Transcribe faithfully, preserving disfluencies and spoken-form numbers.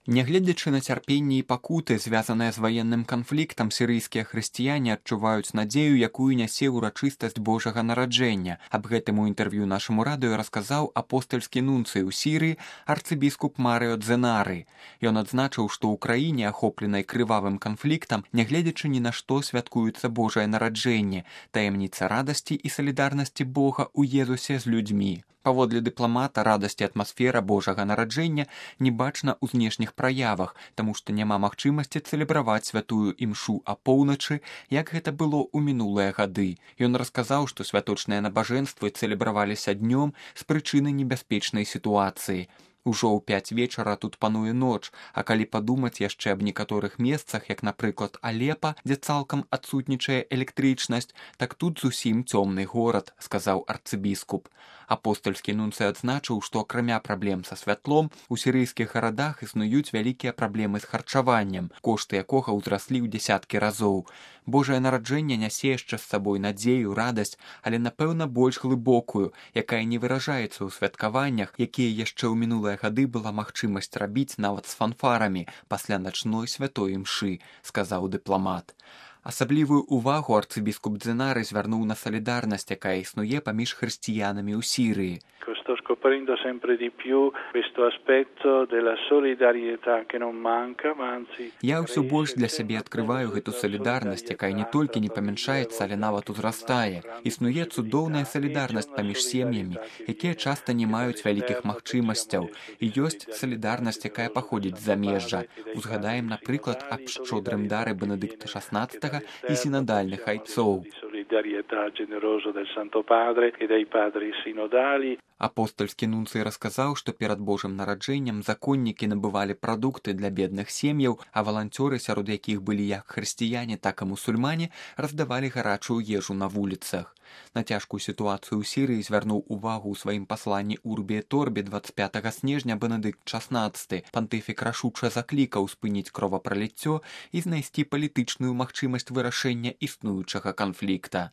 Нягледзячы на цярпенне і пакуты, звязаныя з ваенным канфліктам, сірыйскія хрысціяне адчуваюць надзею, якую нясе ўрачыстасць Божага нараджэння. Аб гэтым у інтэрв'ю нашаму радыё расказаў апостальскі нунцый у Сірыі арцыбіскуп Марыо Дзенары. Ён адзначыў, што ў краіне, ахопленай крывавым канфліктам, нягледзячы ні на што святкуецца Божае нараджэнне, таямніца радасці і салідарнасці Бога ў Езусе з людзьмі. Паводле дыпламата, радасць і атмасфера Божага нараджэння не бачна ў знешніх праявах, таму што няма магчымасці цэлебраваць святую імшу апоўначы, як гэта было ў мінулыя гады. Ён расказаў, што святочныя набажэнствы цэлебраваліся днём з прычыны небяспечнай сітуацыі. Ужо ў пяць вечара тут пануе ноч, а калі падумаць яшчэ аб некаторых месцах, як, напрыклад, Алепа, дзе цалкам адсутнічае электрычнасць, так тут зусім цёмны горад, сказаў арцыбіскуп. Апостальскі нунцый адзначыў, што акрамя праблем са святлом, у сірыйскіх гарадах існуюць вялікія праблемы з харчаваннем, кошты якога ўзраслі ў дзясяткі разоў. Божае нараджэнне нясе яшчэ з сабой надзею, радасць, але, напэўна, больш глыбокую, якая не выражаецца ў святкаваннях, якія яшчэ ў мінулыя гады была магчымасць рабіць нават з фанфарамі пасля начной святой імшы, сказаў дыпламат. Асаблівую увагу арцыбіскуп Дзенары звярнуў на салідарнасць, якая існуе паміж хрысціянамі ў Сірыі. Sto scoprendo sempre di più questo aspetto della solidarietà che non manca, ma anzi... Я ўсё больш для сябе адкрываю гэту салідарнасць, якая не толькі не памяншаецца, але нават узрастае. Існуе цудоўная салідарнасць паміж сем'ямі, якія часта не маюць вялікіх магчымасцяў. І ёсць салідарнасць, якая паходзіць з замежжа. Узгадаем, напрыклад, аб шчодрым дары Бенедыкта шаснаццатага і сінадальных айцоў. Solidarietà generosa del Santo Padre e dei padri sinodali. Апостальскі нунцый расказаў, што перад Божым нараджэннем законнікі набывалі прадукты для бедных сем'яў, а валанцёры, сярод якіх былі як хрысціяне, так і мусульмане, раздавалі гарачую ежу на вуліцах. На цяжкую сітуацыю ў Сірыі звярнуў увагу ў сваім пасланні Урбі et Орбі дваццаць пятага снежня Бенедыкт шаснаццаты. Пантыфік рашуча заклікаў спыніць кровапраліццё і знайсці палітычную магчымасць вырашэння існуючага канфлікта.